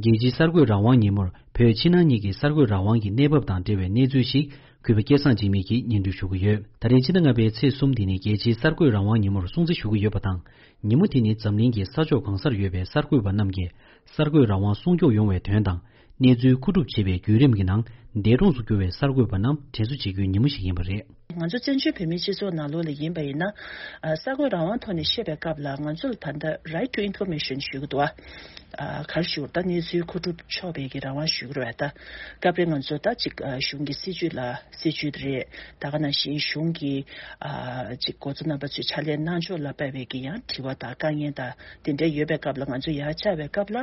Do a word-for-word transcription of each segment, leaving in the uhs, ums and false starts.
རྒྱལ་སྤྱིའི་གསར་འགོད་རང་དབང་ཉིན་མོར་བོད་ཕྱི་ནང་གཉིས་ཀྱི་གསར་འགོད་རང་དབང་གི་གནས་བབ་དང་འབྲེལ་བའི་གནས་ཚུལ་ཞིག་གུས་པ་སྐལ་བཟང་འཇིགས་མེད་ཀྱིས་སྙན་སྒྲོན་ཞུ་གི་ཡོད། ད་རེས་ཕྱི་ཟླ་ལྔ་པའི་ཚེས་གསུམ་འདི་ནི་རྒྱལ་སྤྱིའི་གསར་འགོད་རང་དབང་ཉིན་མོར་སྲུང་བརྩི་ཞུ་གི་ཡོད་པ་དང་། ཉིན་མོ་དེ་ནི་འཛམ་གླིང་གི་ས་ཕྱོགས་གང་སར་ཡོད་པའི་གསར་འགོད་པ་རྣམས་ཀྱིས་གསར་འགོད་རང་དབང་སྲུང་སྐྱོབ་ཡོང་བའི་དོན་དང་། གནས་ཚུལ་མཁོ་སྒྲུབ་བྱེད་པའི་བརྒྱུད་རིམ་གྱི་ནང་འདས་གྲོངས་སུ་གྱུར་བའི་གསར་འགོད་པ་རྣམས་དྲན་གསོ་བྱེད་རྒྱུའི་ཉིན་མོ་ཞིག་ཡིན་པ་རེད། ང་ཚོ་བཙན་བྱོལ་བོད་མིའི་སྤྱི་ཚོགས་ནང་ལོགས་ལ་ཡིན་པ་ཡིན་ན། ཨ། གསར་འགོད་རང་དབང་ཐོག་ནས་བཤད་པའི་སྐབས་ལ་ང་ཚོ་ལ་ད་ལྟ་right to information ཞུ་གི་འདུག་ཨ། ཨ། ག་རེ་ཞུ་ད་གནས་ཚུལ་མཁོ་སྒྲུབ་ཆོག་པའི་གི་རང་དབང་ཞུ་གི་རེད་པ། ད་སྐབས་རེ་ང་ཚོ་ད་ཅིག་ཨ། གཞུང་གི་སྲིད་ཇུས་ལ་སྲིད་ཇུས་རེད། ད་ག་ནང་བཞིན་གཞུང་གི་ཨ། ཅིག་འགོ་གཙོ་རྣམ་པ་ཚོས་ཕྱག་ལས་གནང་ཕྱོགས་ལ་དཔག་པའི་གི་ཡང་དྲི་བ་དང་དཀའ་ངལ་དང་དེ་འདྲ་ཡོད་པའི་སྐབས་ལ་ང་ཚོ་ཡར་བཅར་བའི་སྐབས་ལ།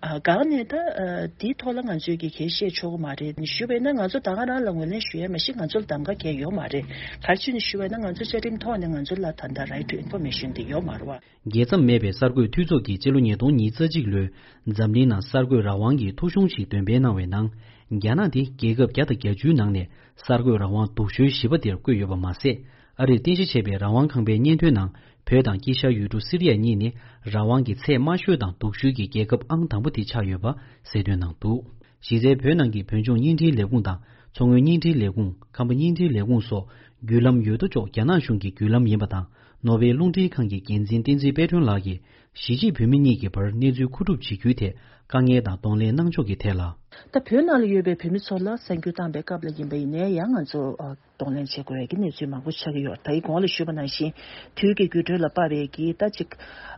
ཨ། གང་ནས་ད་ཨ། དེའི་ཐོག་ལ་ང་ཚོས་གི་གལ་བཤད་ཆོག་གི་མ་རེད། ཞུས་པས་ན་ང་ཚོ་ད་ག་རང་ལ་ངོས་ལེན་ཞུ་ཡ་མ་གཞི་ང་ཚོ་ལ་གདམ་ག་གལ་ཡོད་མ་རེད། ག་རེ་བྱས་ནས་ཞུས་པས་ན་ང་ཚོ་བཅའ་ཁྲིམས་ཐོག་ནས་ང་ཚོ་ལ་ད་ལྟ་right to information དེ་ཡོད་མ་རེད་པ། རྒྱལ་མཚམས་མེད་པའི་གསར་འགོད་འཐུས་ཚོགས་ཀྱིས་སྤྱི་ལོ་ཉིས་སྟོང་ཉེར་གཅིག་ལོའི་འཛམ་གླིང་ནང་གསར་འགོད་རང་དབང་གི་ཐོ་གཞུང་ཞིག་འདོན་སྤེལ་གནང་བའི་ནང་། རྒྱ་ནག་དེ་རྒྱལ་ཁབ་བརྒྱ་དང་བརྒྱད་ཅུའི་ནང་ནས་གསར་འགོད་རང་དབང་སྡུག་ཤོས་བཞི་པ་དེར་བཀོད་ཡོད་པ་མ་ཟད། ཨ་རིར་རྟེན་གཞི་བྱས་པའི་རང་དབང་ཁང་པའི་སྙན་ཐོའི་ནང་བོད་དང་དཀྱིལ་ཤར་ཡུལ་གྲུ་སི་རི་ཡ་གཉིས་ནི་རང་དབང་གི་ཚད་དམའ་ཤོས་དང་སྡུག་ཤོས་ཀྱི་རྒྱལ་ཁབ་ཨང་དང་པོ་དེ་ཆགས་ཡོད་པ་གསལ་སྟོན་གནང་འདུག་གཞི་རྩའི་བོད་ནང་གི་བོད་ལྗོངས་བརྙན་འཕྲིན་ལས་ཁུངས་དང་མཚོ་སྔོན་བརྙན་འཕྲིན་ལས་ཁུངས། ཁམས་པ་བརྙན་འཕྲིན་ལས་ཁུངས་སོགས་བརྒྱུད་ལམ་ཡོད་དོ་ཅོག་རྒྱ་ནག་གཞུང་གི་བརྒྱུད་ལམ་ཡིན་པ་དང་། ནོར་ཝེ་རླུང་འཕྲིན་ཁང་གི་འགན་འཛིན་བསྟན་འཛིན་དཔལ་སྒྲོན་ལགས་ཀྱིས་གཞིས་བྱེས་བོད་མི་གཉིས་ཀྱི་བར་གནས་ཚུལ་མཁོ་སྒྲུབ་བྱེད་རྒྱུའི་ཐད་དཀའ་ངལ་དང་གདོང་ལེན་གནང་ཕྱོགས་ཀྱི་ཐད་ལ། ད་བོད་ནང་ལ་ཡོད་པའི་བོད་མི་ཚོ་ལ་གསར་འགྱུར་བཏང་པའི་སྐབས་ལ་ཡིན་པ་ཡིན་ནའི་ཡང་ང་ཚོ་ཨ། གདོང་ལེན་བྱེད་དགོས་ཡ་གི་གནས་ཚུལ་མང་པོ་ཆགས་ཀྱི་ཡོད། ད་ཡི་གོང་ལ་ཞུས་པ་ནང་བཞིན་དུས་ཀྱི་འགྱུར་འགྲོས་ལ་དཔག་པའི་གི་ད་ཅིག་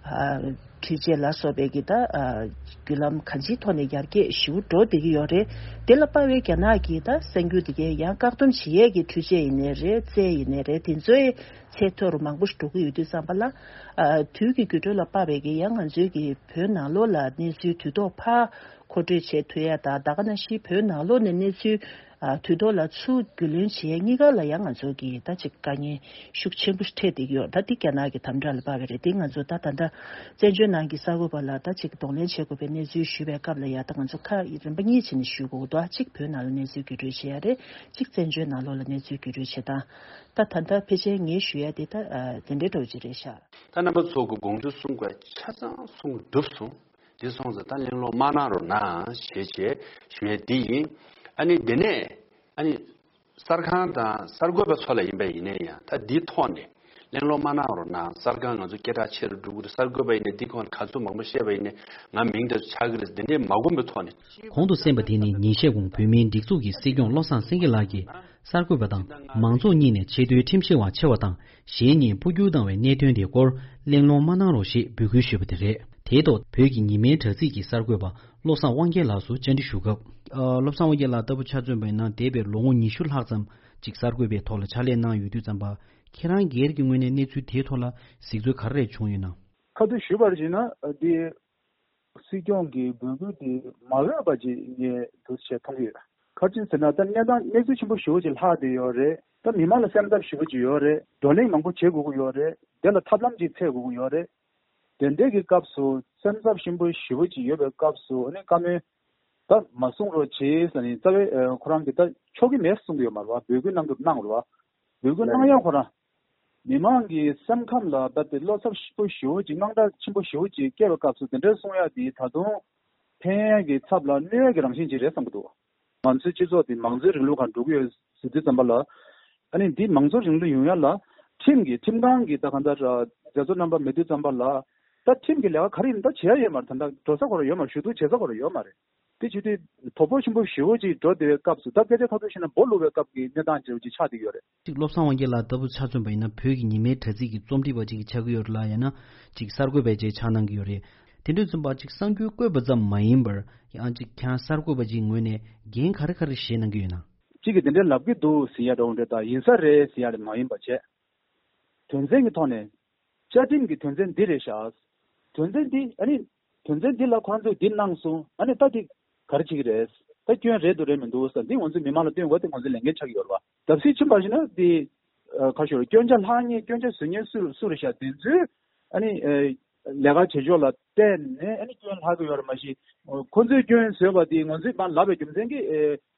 ཨ། འཕྲུལ་ཆས་ལ་སོགས་པའི་གི་ད་ཨ། བརྒྱུད་ལམ་གང་ཅིའི་ཐོག་ནས་ཡར་རྒྱས་ཞེ་པོ་འགྲོ་བསྡད་ཀྱི་ཡོད་རེད། དེ་ལ་དཔག་པའི་རྒྱ་ནག་གི་ད་གསར་འགྱུར་དེ་གའི་ཡང་བཀག་སྡོམ་བྱེད་ཡས་ཀྱི་འཕྲུལ་ཆས་ཡིན་ནའི་རེད། རྩལ་ཡིན་ནའི་རེད། དེ་ཚོའི་ཚད་མཐོ་རུ་མང་པོ་ཞིག་འགྲོ་གི་ཡོད་དུས་ཙམ་པ་ལ། ཨ། དུས་ཀྱི་འགྱུར་འགྲོས་ལ་དཔག་པའི་གི་ཡང་ང་ཚོའི་གི་བོད་ནང་ལོགས་ལ་གནས་ཚུལ་དུས་ཐོག་ཕར་མཁོ་སྤྲོད་བྱེད་ཐུབ་ཡ་དང་། ད་ག་ནང་བཞིན་བོད་ནང་ལོགས་ནས་གནས་ཚུལ་ཨ། དུས་ཐོག་ལ་ཚུར་རྒྱུས་ལོན་བྱེད་ཡ་གཉིས་ཀ་ལ་ཡང་ང་ཚོ་གི་ད་ཅིག་དཀའ་ངལ་ཤུགས་ཆེན་པོ་འཕྲད་བསྡད་ཀྱི་ཡོད། ད་འདི་རྒྱ་ནག་གི་དམ་དྲག་ལ་དཔག་པ་རེད། འདི་ང་ཚོ་ད་ད་ལྟ་བཙན་བྱོལ་ནང་གི་གསར་འགོད་པ་ལ་ད་ཅིག་གདོང་ལེན་བྱེད་དགོས་པའི་གནས་ཚུལ་ཞུས་པའི་སྐབས་ལ་ཡ་ད་ང་ཚོ་ཁ་རིམ་པ་གཉིས་བྱས་ནས་ཞུ་དགོས་འདུག་གཅིག་བོད་ནང་ལ་གནས་ཚུལ་བརྒྱུད་སྤྲོད་བྱེད་ཡ་རེད། གཅིག་བཙན་བྱོལ་ནང་ལོགས་ལ་གནས་ཚུལ་བརྒྱུད་སྤྲོད་བྱེད་སྟངས། ད་ད་ལྟ་ཕལ་ཆེར་ངས་ཞུ་ཡ་དེ་ད་ཨ། དེ་འདྲའི་འདྲ་བོ་ཅིག་རེད་ཤག་ད་རྣམ་པ་ཚོ་གི་དགོངས་ཚུལ་གསུང་དགོས་ཆ་ཚང་གསུང་གི་འགྲུབ་སོང་། དེ་སོང་ཙང་ད་གླེང་སློང་མ་གནང་རོགས་གནང་ཞེས་བྱས་ཞུ་ཡས་འདི་ཡིན། ཨ་ནི་དེ་ནས་ཨ་ནི་གསར་ཁང་དང་གསར་འགོད་པ་ཚོ་ལ་ཡིན་པ་ཡིན་ནའི་ཡང་ད་འདིའི་ཐོག་ནས་གླེང་སློང་མ་གནང་རོགས་གནང་། གསར་ཁང་ང་ཚོ་སྐད་གྲགས་ཆེ་རུ་འགྲོ་གི་རེད། གསར་འགོད་པ་ཡིན་ནའི་འདི་ཁོང་ག་ཚོད་མང་པོ་བཤད་པ་ཡིན་ནའི་ང་མིང་དེ་ཚོ་ཆགས་ཀྱི་རེད། འདི་འདྲའི་མ་དགོངས་པའི་ཐོག་ནས། གོང་དུ་གསན་པ་དེ་ནི་ཉིན་ཤས་གོང་བོད་མིའི་སྒྲིག་འཛུགས་ཀྱི་སྲིད་སྐྱོང་བློ་བཟང་སེང་གེ་ལགས་ཀྱིས། གསར་འགོད་པ་དང་མང་ཚོགས་གཉིས་ནས་ཆེས་མཐོའི་ཁྲིམས་ཞིབ་པ་ཆེ་བ་དང་གཞན་གཉིས་སྤོ་སྒྱུར་བཏང་བའི་གནད་དོན་དེ་སྐོར་གླེང་སློང་མ་གནང་རོགས་ཞེས་འབོད་སྐུལ་ཞུས་པ་དེ་རེད། དེའི་ཐོག་བོད་ཀྱི་ཉི་མའི་དྲ་ཚིགས་ཀྱི་གསར་འགོད་པ་བློ་བཟང་དབང་རྒྱལ་ལགས་སུ་བཅར་འདྲི་ཞུ་སྐབས། ཨ། བློ་བཟང་དབང་རྒྱལ་ལགས་ལྟ་བུ་ཆ་མཚོན་པ་ཡིན་ན་འདས་པའི་ལོ་ངོ་ཉི་ཤུ་ལྷག་ཙམ་ཅིག་གསར་འགོད་པའི་ཐོག་ལ་ཕྱག་ལས་གནང་ཡོད་དུས་ཙམ་པ། ཁྱེད་རང་སྒེར་གྱི་ངོས་ནས་གནས་ཚུལ་དེའི་ཐོག་ལ་གཟིགས་ཚུལ་ག་རེ་རེ་བྱུང་ཡོད་ན། ཁ་ཐུག་ཞུས་པར་བྱས་ན་འདི། སྲིད་སྐྱོང་གི་འབོད་སྐུལ་དེ་མ་འོས་པ་ཅིག་ངས་འདུག་བྱས་མཐོང་གི་ཡོད། ག་རེ་ཟེར་ན་ད་གནས་སྟངས་གནས་ཚུལ་ཆེན་པོ་ཞེ་པོ་ཅིག་ལྷག་བསྡད་ཡོད་རེད། ད་མི་མང་ལ་སེམས་འཚབ་ཞེ་པོ་ཅིག་ཡོད་རེད། བགྲོ་གླེང་མང་པོ་བྱེད་དགོས་ཀྱི་ཡོད་རེད། དེ་ལ་ཐབས་ལམ་ཅིག་འཚོལ་དགོས་ཀྱི་ཡོད་རེད། དེ་འདྲའི་གི་སྐབས་སུ་སེམས་འཚབ་ཆེན་པོ་ཞེ་པོ་ཅིག་ཡོད་པའི་སྐབས་སུ་ཨ་ནི་བཀའ་མོལ་ད་མ་གསུང་རོགས་བྱེད་ཟེར་ནས་རྩ་བའི་ཁོ་རང་གིས་ད་ཆོག་གི་མེད་གསུང་གི་ཡོད་མ་རེད་བ། འབོད་སྐུལ་གནང་དགོས་གནང་རེད་བ། འབོད་སྐུལ་གནང་ཡང་ཁོ་རང་། མི་མང་གི་སེམས་ཁམས་ལ་ད་དེ་བློ་འཚབ་ཞེ་པོ་ཞེ་པོ་ཅིག་དངངས་སྐྲག་ཆེན་པོ་ཞེ་པོ་ཅིག་སྐྱེས་པའི་སྐབས་སུ་དེ་འདྲའི་གསུང་ཡག་དེ་ད་དུང་ཕན་ཡག་གི་ཚབ་ལ་གནོད་ཡག་གི་རང་བཞིན་ཅིག་རེད་བསམ་གྱི་འདུག་ང་ཚོའི་སྤྱི་ཚོགས་དེ་མང་གཙོའི་རིང་ལུགས་སྒང་འགྲོ་གི་ཡོད་ཟེར་དུས་ཙམ་པ་ལ། ཨ་ནི་འདི་མང་གཙོའི་རིང་ལུགས་ཡོང་ཡག་ལ་ཁྲིམས་ཀྱི་ཁྲིམས་ཁང་གི་ད་གང་ལྟར་མཛད་གཙོ་རྣམ་པ་མེད་དུས་ཙམ་པ་ལ། ད་ཁྲིམས་ཀྱི་ལས་ཀ་ག་རེ་ཡིན་ད་བྱེད་ཡག་ཡོད་མ་རེད། ད་ལྟ་འགྲོ་ས་ཁོ་རང་ཡོད་མ་རེད། ཞུ་གཏུག་བྱེད་ས་ཁོ་རང་ཡོད་མ་རེད། དེ་བྱེད་དུས་དོ་ཕོག་ཆེན་པོ་ཞེ་པོ་ཅིག་འགྲོ་བསྡད་པའི་སྐབས་སུ་ད་སྐད་ཆ་ཁ་ཐུག་བཤད་ན་སྦོ་ལུག་པའི་སྐབས་ཀྱི་གནས་སྟངས་ཅིག་ཅིག་ཆགས་བསྡད་ཡོད་རེད། གཅིག་བློ་བཟང་དབང་རྒྱལ་ལགས་ལྟ་བུ་ཆ་མཚོན་པ་ཡིན་ན་བོད་ཀྱི་ཉི་མའི་དྲ་ཚིགས་ཀྱི་རྩོམ་སྒྲིག་པ་ཅིག་ཆགས་ཀྱི་ཡོད་རེད་ལ། ཡང་ན་གཅིག་གསར་འགོད་པ་ཅིག་ཆགས་གནང་གི་ཡོད་རེད། དེ་འདྲ་ཙམ་པ་གཅིག་གསར་འགྱུར་བཀོད་པ་ཙམ་མ་ཡིན་པར་ཡང་གཅིག་ཁྱེད་རང་གསར་འགོད་པ་ཅིག་ངོས་ནས་འགན་ག་རེ་ག་རེ་བཞེས་གནང་གི་ཡོད་ན། གཅིག་གིས་དེ་འདྲའི་ལབ་ཀྱི་འདུག་ཟེར་ཡ་འདྲ་བོ་འདྲ་དང་ཡིན་ས་རེད་ཟེར་ཡ་རེད་མ་ཡིན་པ་བྱས། དོན་ཚན་གྱི་ཐོག་ནས། བཅའ་ཁྲིམས་ཀྱི་དོན་ཚན་འདི་རེད་ཤག་དོན་ཚན་འདི་ཨ་ནི། དོན་ཚན་འདི་ལ་ཁོ་རང་ཚོས་འདི་གནང་སོང་། ཨ་ནི་ད་འདི་ག་རེ་བྱེད་ཀྱི་རེད། ད་སྐྱོན་རེད་འདུག་རེད་མི་འདུག་ཟེར་འདི་ང་ཚོས་མི་མང་ལ་སྟོན་དགོས། དེ་ང་ཚོའི་ལས་འགན་ཆགས་ཀྱི་ཡོད་རེད་བ། ལྡབ་གསིག་ཕྱིན་པར་བྱས་ན་འདི་ཨ། ག་ཞུ་རེད། སྐྱོན་ཆ་ལྷག་མཁན་སྐྱོན་ཆ་བཟོ་མཁན་སུ་སུ་རེད་ཤག་དེ་ཚོས་ཨ་ནི་ཨ། ལས་ཀ་བྱེད་ཕྱོགས་ལ་བལྟས་ནས་ཨ་ནི་སྐྱོན་ལྷག་གི་ཡོད་རེད། མ་གཞི་ཁོ་ཚོས་སྐྱོན་བཟོས་པ་དེ་ང་ཚོས་མར་ལབ་པའི་རྒྱུ་མཚན་གྱིས་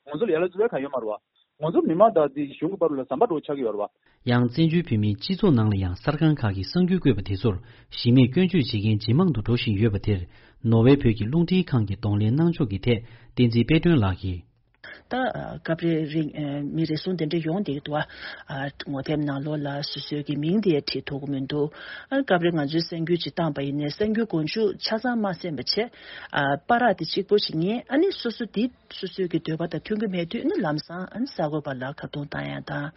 ཨ། ང་ཚོ་ལ་ཡ་ལ་བཙུགས་པའི་གང་ཡོད་མ་རེད་བ། ང་ཚོ་མི་མང་དང་དེ་གཞུང་གི་བར་ལ་ཟམ་པ་འདྲ་བོ་ཆགས་ཀྱི་ཡོད་རེད་བ། ཡང་བཙན་བྱོལ་བོད་མིའི་སྤྱི་ཚོགས་ནང་ལ་ཡང་གསར་ཁང་ཁག་གིས་གསར་འགྱུར་བཀོད་པ་དེ་ཚོར་གཞི་མེད་སྐྱོན་བརྗོད་བྱེད་མཁན་ཇེ་མང་དུ་འགྲོ་བཞིན་ཡོད་པ་དེར་ ནོར་ཝེ་བོད་ཀྱི་རླུང་འཕྲིན་ཁང་གི་གདོང་ལེན་གནང་ཕྱོགས་ཀྱི་ཐད་བསྟན་འཛིན་དཔལ་སྒྲོན་ལགས་ཀྱིས། ད་སྐབས་རེ་རིང་མི་རེ་ཟུང་དེ་འདྲ་ཡོང་བསྡད་ཀྱི་འདུག་ཨ། ངོ་དེབ་ནང་ལོགས་ལ་སོ་སོའི་གི་མིང་དེ་བྲིས་ཐུབ་ཀྱི་མི་འདུག་ཨ། སྐབས་རེ་ང་ཚོའི་གསར་འགྱུར་ཅིག་བཏང་པ་ཡིན་ནའི་གསར་འགྱུར་མགོ་མཇུག་ཆ་ཚང་མ་གསན་པ་བྱས། ཨ། པར་ར་དེ་གཅིག་པོ་ཞིག་ཉན། ཨ་ནི་སོ་སོ་དེ་སོ་སོའི་གི་འདོད་པ་དང་མཐུན་གྱི་མེད་དུས་ནི་ལམ་སང་ཨ་ནི་གསར་འགོད་པ་ལ་ཁ་རྡུང་བཏང་ཡ་དང་།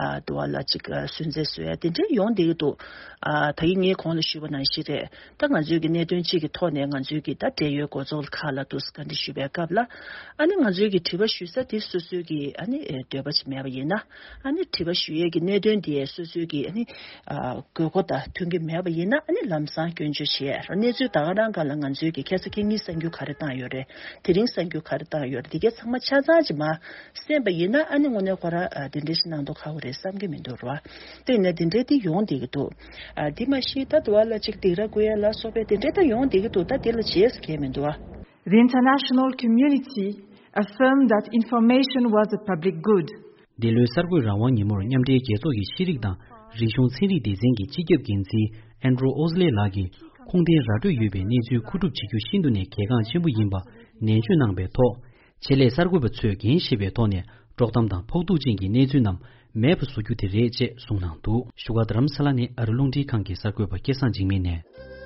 ཨ། དུ་བ་ལ་ཅིག་ཨ། སུན་གཙེར་བཟོ་ཡ་དེ་འདྲ་ཡོང་བསྡད་ཀྱི་འདུག་ཨ། ད་གིན་ངས་གོང་ལ་ཞུས་པ་ནང་བཞིན་རེད། ད་ང་ཚོའི་གི་གནད་དོན་གཅིག་གི་ཐོག་ནས་ང་ཚོའི་གི་ད་འབྲེལ་ཡོད་འགོ་ཚོགས་ཁག་ལ་དུ་བཀའ་འདྲི་ཞུས་པའི་སྐབས་ལ། ཨ་ནི་ང་ཚོའི་གི་དྲི་བ་ཞུ་ས་དེ་སོ་སོའི་གི་ཨ་ནི་འདོད་པ་ཅིག་མེད་པ་ཡིན་ན། ཨ་ནི་དྲི་བ་ཞུ་ཡས་གི་གནད་དོན་དེ་སོ་སོའི་གི་ཨ་ནི་ཨ། དགོས་མཁོ་དང་མཐུན་གྱི་མེད་པ་ཡིན་ན། ཨ་ནི་ལམ་སང་སྐྱོན་བརྗོད་བྱེད་ཡས། གནས་ཚུལ་ད་ག་རང་སྒང་ལ་ང་ཚོའི་གི་ཁ་སང་ཁ་ཉིན་གསར་འགྱུར་ག་རེ་བཏང་ཡོད་རེད། དེ་རིང་གསར་འགྱུར་ག་རེ་བཏང་ཡོད་རེད། དེ་གའི་ཚང་མ་ཆ་ཚང་ཅིག་མ་གསན་པ་ཡིན་ན། ཨ་ནི་དངོས་གནས་ཁོ་རང་ཨ། དེ་འདྲ་ཞིག་གནང་མདོག་ཁ་པོ་རེད་བསམ་གྱི་མི་འདུག་ར། དེ་ཡིན་ན་དེ་འདྲའི་དེ་ཡོང་བསྡད་ཀྱི་འདུག་ཨ། དེ་མ་གཞི་ད་དུ་བ་ལ་ཅིག་སྡིགས་ར་བསྐུལ་ཡ་ལ་སོགས་པའི་དེ་འདྲའི་ད་ཡོང་བསྡད་ཀྱི་འདུག་ད་དེ་ལ་བྱས་སུ་གལ་མི་འདུག་ཨ། The international community affirmed that information was a public good. འདི་ལོའི་གསར་འགོད་རང་དབང་ཉིན་མོར་མཉམ་འབྲེལ་རྒྱལ་ཚོགས་ཀྱི་ཤེས་རིག་དང་རིག་གཞུང་ཚན་རིག་སྡེ་ཚན་གྱི་སྤྱི་ཁྱབ་འགན་འཛིན་ཨན་ཌྲུ་ཨོ་སི་ལེ་ལགས་ཀྱིས་ཁུངས་ལྡན་ར་སྤྲོད་ཡོད་པའི་གནས་ཚུལ་མཁོ་སྒྲུབ་བྱེད་རྒྱུ་ཤིན་ཏུ་ནས་གལ་འགངས་ཆེན་པོ་ཡིན་པ་ནན་བརྗོད་གནང་པའི་ཐོག་ཆེད་ལས་གསར་འགོད་པ་ཚོས་འགན་བཞེས་པའི་ཐོག་ནས་དཀྲོག་གཏམ་དང་ཕོག་ཐུག་ཅན་གྱི་གནས་ཚུལ་རྣམས་མེད་པ་བཟོ་རྒྱུ་དེ་རེད་ཅེས་གསུངས་གནང་འདུག་བཞུགས་སྒར་རྡ་རམ་ས་ལ་ནས་ཨ་རི་རླུང་འཕྲིན་ཁང་གི་གསར་འགོད་པ་སྐལ་བཟང་འཇིགས་མེད་ནས།